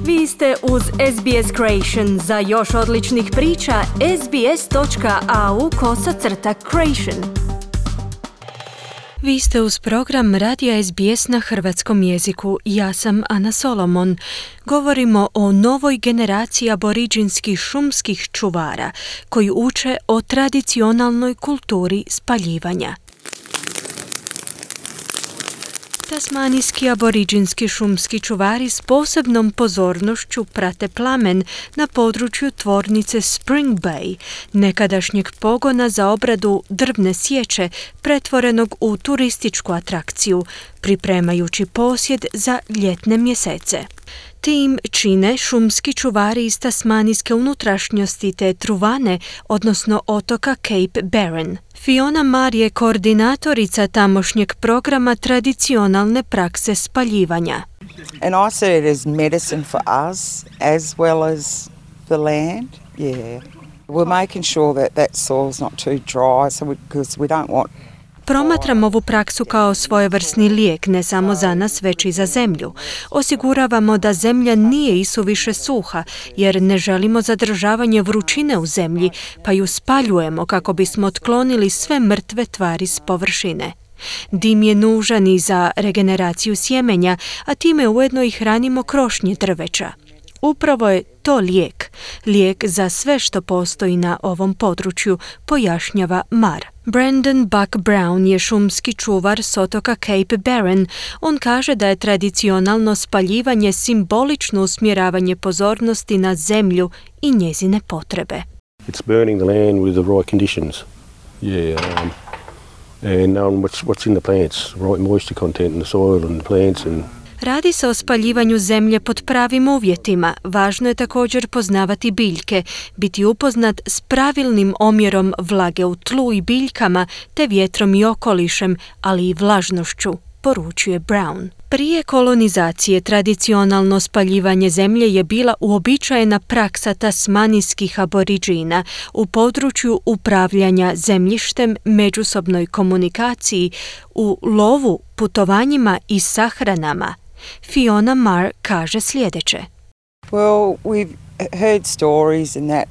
Vi ste uz SBS Creation. Za još odličnih priča, sbs.au/creation. Vi ste uz program Radija SBS na hrvatskom jeziku. Ja sam Ana Solomon. Govorimo o novoj generaciji aboriđinskih šumskih čuvara koji uče o tradicionalnoj kulturi spaljivanja. Tasmanijski aboriđinski šumski čuvari s posebnom pozornošću prate plamen na području tvornice Spring Bay, nekadašnjeg pogona za obradu drvne sječe pretvorenog u turističku atrakciju, pripremajući posjed za ljetne mjesece. Tim čine šumski čuvari iz tasmanijske unutrašnjosti te Truvane, odnosno otoka Cape Barren. Fiona Mar je koordinatorica tamošnjeg programa tradicionalne prakse spaljivanja. And I see it as medicine for us as well as the land. Yeah. We're making sure that soil's not too dry because we don't want. Promatram ovu praksu kao svojevrsni lijek ne samo za nas, već i za zemlju. Osiguravamo da zemlja nije isuviše suha, jer ne želimo zadržavanje vrućine u zemlji, pa ju spaljujemo kako bismo otklonili sve mrtve tvari s površine. Dim je nužan i za regeneraciju sjemenja, a time ujedno i hranimo krošnje drveća. Upravo je to lijek za sve što postoji na ovom području, pojašnjava Mar. Brandon Buck Brown je šumski čuvar s otoka Cape Barren. On kaže da je tradicionalno spaljivanje simbolično usmjeravanje pozornosti na zemlju i njezine potrebe. It's burning the land with the right conditions. And knowing what's in the plants, right moisture content in the soil and the plants and Radi se o spaljivanju zemlje pod pravim uvjetima. Važno je također poznavati biljke, biti upoznat s pravilnim omjerom vlage u tlu i biljkama, te vjetrom i okolišem, ali i vlažnošću, poručuje Brown. Prije kolonizacije tradicionalno spaljivanje zemlje je bila uobičajena praksa tasmanijskih aboriđina u području upravljanja zemljištem, međusobnoj komunikaciji, u lovu, putovanjima i sahranama. Fiona Mar kaže sljedeće. Well, we've heard stories and that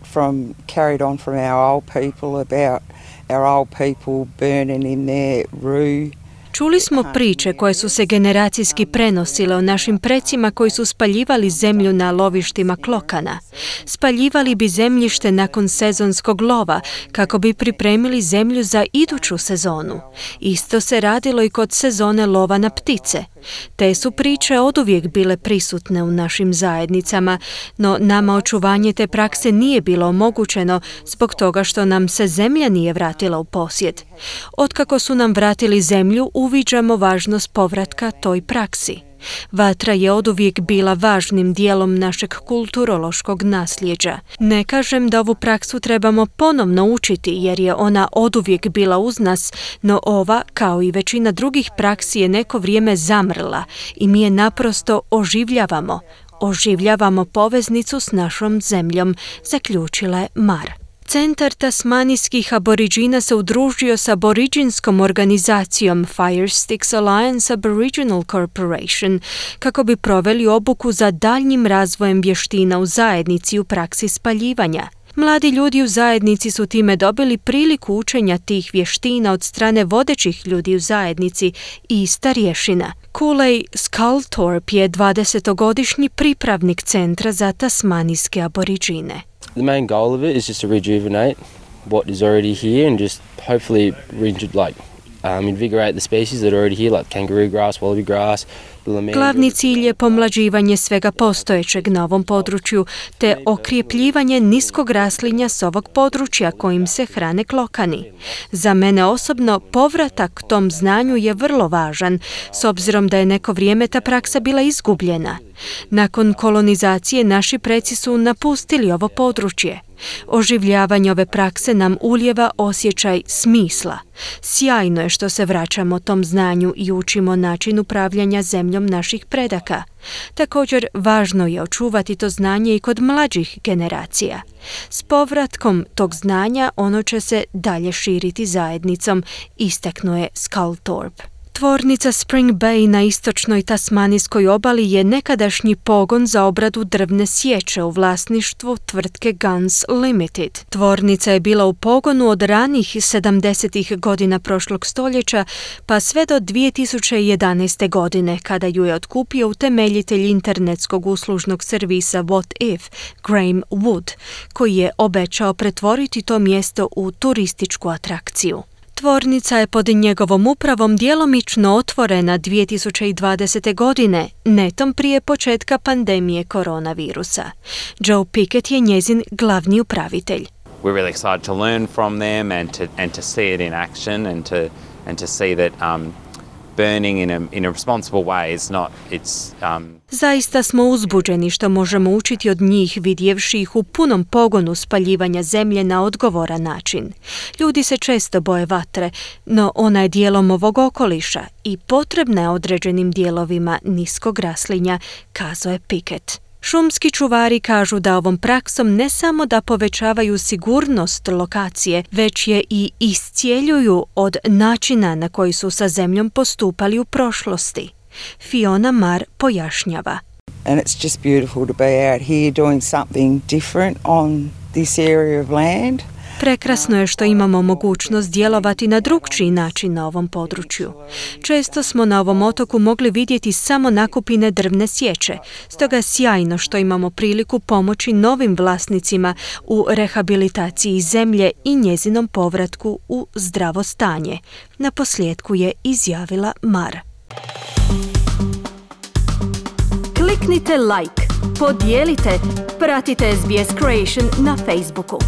carried on from our old people about our old people burning in their rue. Čuli smo priče koje su se generacijski prenosile o našim precima koji su spaljivali zemlju na lovištima klokana. Spaljivali bi zemljište nakon sezonskog lova kako bi pripremili zemlju za iduću sezonu. Isto se radilo i kod sezone lova na ptice. Te su priče oduvijek bile prisutne u našim zajednicama, no nama očuvanje te prakse nije bilo omogućeno zbog toga što nam se zemlja nije vratila u posjed. Otkako su nam vratili zemlju, uviđamo važnost povratka toj praksi. Vatra je oduvijek bila važnim dijelom našeg kulturološkog nasljeđa. Ne kažem da ovu praksu trebamo ponovno učiti jer je ona oduvijek bila uz nas, no ova, kao i većina drugih praksi, je neko vrijeme zamrla i mi je naprosto oživljavamo. Oživljavamo poveznicu s našom zemljom, zaključila je Mar. Centar tasmanijskih aboriđina se udružio s aboriđinskom organizacijom Fire Sticks Alliance Aboriginal Corporation kako bi proveli obuku za daljnjim razvojem vještina u zajednici u praksi spaljivanja. Mladi ljudi u zajednici su time dobili priliku učenja tih vještina od strane vodećih ljudi u zajednici i starješina. Cooley Sculthorpe je 20-godišnji pripravnik centra za tasmanijske aboriđine. The main goal of it is just to rejuvenate what is already here and just hopefully invigorate the species that are already here, like kangaroo grass, wallaby grass. Glavni cilj je pomlađivanje svega postojećeg na ovom području, te okrjepljivanje niskog raslinja s ovog područja kojim se hrane klokani. Za mene osobno povratak tom znanju je vrlo važan, s obzirom da je neko vrijeme ta praksa bila izgubljena. Nakon kolonizacije naši preci su napustili ovo područje. Oživljavanje ove prakse nam ulijeva osjećaj smisla. Sjajno je što se vraćamo tom znanju i učimo način upravljanja zemljom naših predaka. Također, važno je očuvati to znanje i kod mlađih generacija. S povratkom tog znanja ono će se dalje širiti zajednicom, istaknuo je Sculthorpe. Tvornica Spring Bay na istočnoj tasmanijskoj obali je nekadašnji pogon za obradu drvne sječe u vlasništvu tvrtke Guns Limited. Tvornica je bila u pogonu od ranih 70. godina prošlog stoljeća pa sve do 2011. godine kada ju je otkupio utemeljitelj internetskog uslužnog servisa What If, Graham Wood, koji je obećao pretvoriti to mjesto u turističku atrakciju. Tvornica je pod njegovom upravom djelomično otvorena 2020. godine, netom prije početka pandemije koronavirusa. Joe Pickett je njezin glavni upravitelj. We're really excited to learn from them and to see it in action and to see that burning in a responsible way is not Zaista smo uzbuđeni što možemo učiti od njih vidjevši ih u punom pogonu spaljivanja zemlje na odgovoran način. Ljudi se često boje vatre, no ona je dijelom ovog okoliša i potrebna je određenim dijelovima niskog raslinja, kazao je Pickett. Šumski čuvari kažu da ovom praksom ne samo da povećavaju sigurnost lokacije, već je i iscijeljuju od načina na koji su sa zemljom postupali u prošlosti. Fiona Marr pojašnjava. And it's just beautiful to be out here doing something different on this area of land. Prekrasno je što imamo mogućnost djelovati na drukčiji način na ovom području. Često smo na ovom otoku mogli vidjeti samo nakupine drvne sječe, stoga je sjajno što imamo priliku pomoći novim vlasnicima u rehabilitaciji zemlje i njezinom povratku u zdravo stanje. Naposljetku je izjavila Marr. Kliknite like, podijelite, pratite SBS Creation na Facebooku.